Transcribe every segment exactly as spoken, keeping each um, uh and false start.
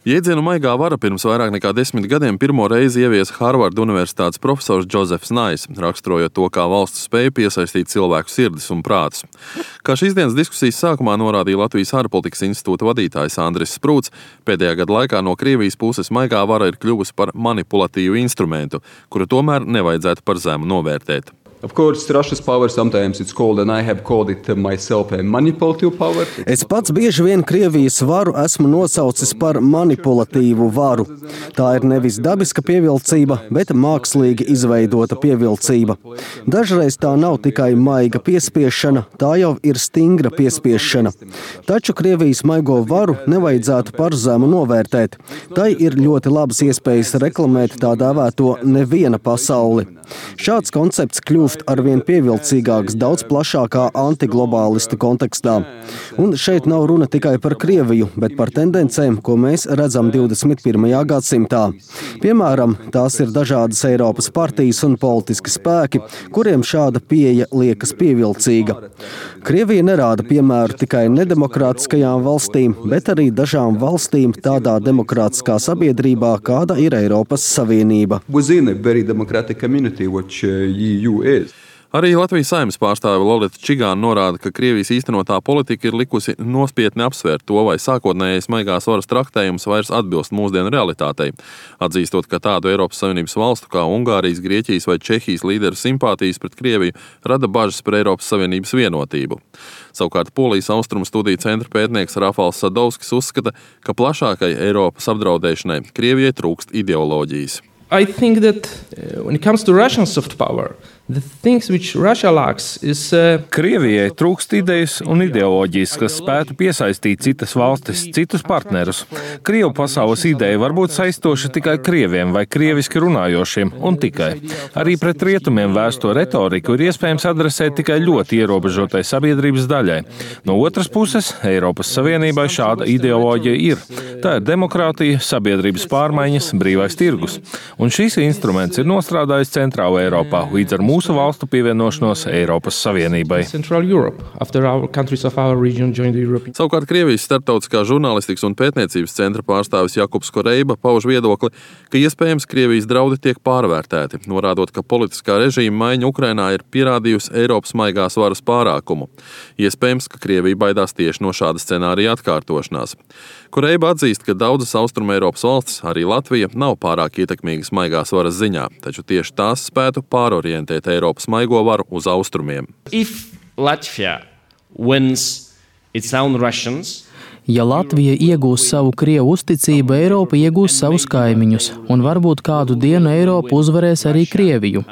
Jēdzienu maigā vara pirms vairāk nekā desmit gadiem pirmo reizi ieviesa Harvarda universitātes profesors Džozefs Nais, raksturojot to, kā valsts spēja piesaistīt cilvēku sirdis un prātus. Kā šīs dienas diskusijas sākumā norādīja Latvijas ārpolitikas institūta vadītājs Andris Sprūts, pēdējā gada laikā no Krievijas puses maigā vara ir kļuvusi par manipulatīvu instrumentu, kuru tomēr nevajadzētu par zemu novērtēt. Of course, Russia's power sometimes it's called, and I have called it myself, a manipulative power. Es pats bieži vien Krievijas varu esmu nosaucis par manipulatīvu varu. Tā ir nevis dabiska pievilcība, bet mākslīgi izveidota pievilcība. Dažreiz tā nav tikai maiga piespiešana, tā jau ir stingra piespiešana. Taču Krievijas maigo varu nevajadzētu par zemu novērtēt. Tai ir ļoti labas iespējas reklamēt tā dēvēto neviena pasauli. Šāds koncepts kļūst arvien pievilcīgāks daudz plašākā antiglobālistu kontekstā. Un šeit nav runa tikai par Krieviju, bet par tendencēm, ko mēs redzam divdesmit pirmajā gadsimtā. Piemēram, tās ir dažādas Eiropas partijas un politiski spēki, kuriem šāda pieeja liekas pievilcīga. Krievija nerāda piemēru tikai nedemokrātiskajām valstīm, bet arī dažām valstīm tādā demokrātiskā sabiedrībā, kāda ir Eiropas Savienība. Which uh, E U is. Arī Latvijas Saeimas pārstāve Lolita Čigāna norāda, ka Krievijas īstenotā politika ir likusi nospietni apsvērt to, vai sākotnējais maigās varas traktējums vairs atbilst mūsdienu realitātei, atzīstot, ka tādu Eiropas Savienības valstu kā Ungārijas, Grieķijas vai Čehijas līderu simpātijas pret Krieviju rada bažas par Eiropas Savienības vienotību. Savukārt Polijas austrumu studiju centra pētnieks Rafals Sadovskis uzskata, ka plašākai Eiropas apdraudēšanai Krievijai trūkst ideoloģijas. I think that uh, when it comes to Russian soft power, the things which Russia lacks is uh, Krievijai trūkst idejas un ideoloģijas, kas spētu piesaistīt citas valstis, citus partnerus. Krievu pasaules ideja var būt saistoša tikai krieviem vai krieviski runājošiem, un tikai. Arī pret rietumiem vērsto retoriku ir iespējams adresēt tikai ļoti ierobežotai sabiedrības daļai. No otras puses, Eiropas Savienībai šāda ideoloģija ir. Tā ir demokrātija, sabiedrības pārmaiņas, brīvais tirgus. Un šīs instruments ir nostrādājis Centrāla Eiropā līdz ar mūsu valstu pievienošanos Eiropas Savienībai. Savukārt Krievijas starptautiskā žurnālistikas un pētniecības centra pārstāvis Jakubs Koreiba pauž viedokli, ka iespējams Krievijas draudi tiek pārvērtēti, norādot, ka politiskā režīma maiņa Ukrainā ir pierādījusi Eiropas maigās varas pārākumu. Iespējams, ka Krievija baidās tieši no šāda scenārija atkārtošanās. Koreiba atzīst, ka daudzas Austruma Eiropas valstis, arī Latvija, nav pārāk ietekmīgas maigās varas ziņā, taču tieši tās spētu pārorientēt Eiropas maigo varu uz austrumiem. If Latvia wins its own Russians, ja Latvija iegūs savu Krievu uzticību, Eiropa iegūs savus kaimiņus, un varbūt kādu dienu Eiropa uzvarēs arī Krieviju.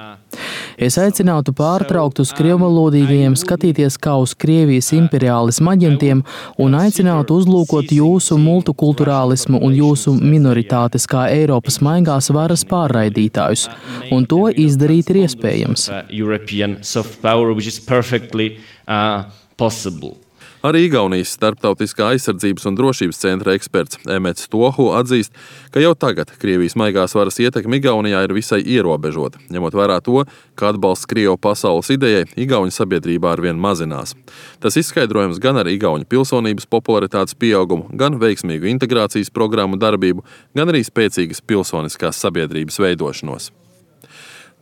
Es aicinātu pārtraukt uz krievvalodīgajiem skatīties kā uz Krievijas imperiālismu aģentiem un aicinātu uzlūkot jūsu multikulturālismu un jūsu minoritātes kā Eiropas maigās varas pārraidītājus, un to izdarīt ir iespējams. European soft power, which is perfectly uh, possible. Arī Igaunijas starptautiskā aizsardzības un drošības centra eksperts Emets Tohu atzīst, ka jau tagad Krievijas maigās varas ietekme Igaunijā ir visai ierobežota, ņemot vērā to, ka atbalsts Krievu pasaules idejai Igauņu sabiedrībā arvien mazinās. Tas izskaidrojams gan ar igauņu pilsonības popularitātes pieaugumu, gan veiksmīgu integrācijas programmu darbību, gan arī spēcīgas pilsoniskās sabiedrības veidošanos.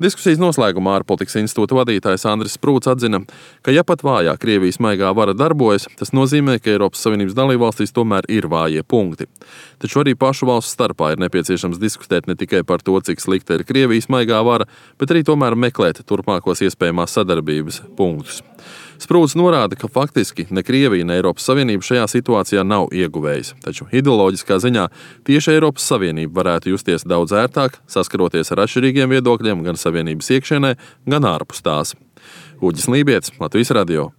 Diskusijas noslēgumā ārpolitikas institūta vadītājs Andris Sprūts atzina, ka ja pat vājā Krievijas maigā vara darbojas, tas nozīmē, ka Eiropas Savienības dalībvalstīs tomēr ir vājie punkti. Taču arī pašu valstu starpā ir nepieciešams diskutēt ne tikai par to, cik slikta ir Krievijas maigā vara, bet arī tomēr meklēt turpmākos iespējamās sadarbības punktus. Sprūts norāda, ka faktiski ne Krievija, ne Eiropas Savienība šajā situācijā nav ieguvējis, taču ideoloģiskā ziņā tieši Eiropas Savienība varētu justies daudz ērtāk, saskaroties ar atšķirīgiem viedokļiem gan Savienības iekšienē, gan ārpus tās. Uģis Lībietis, Latvijas radio.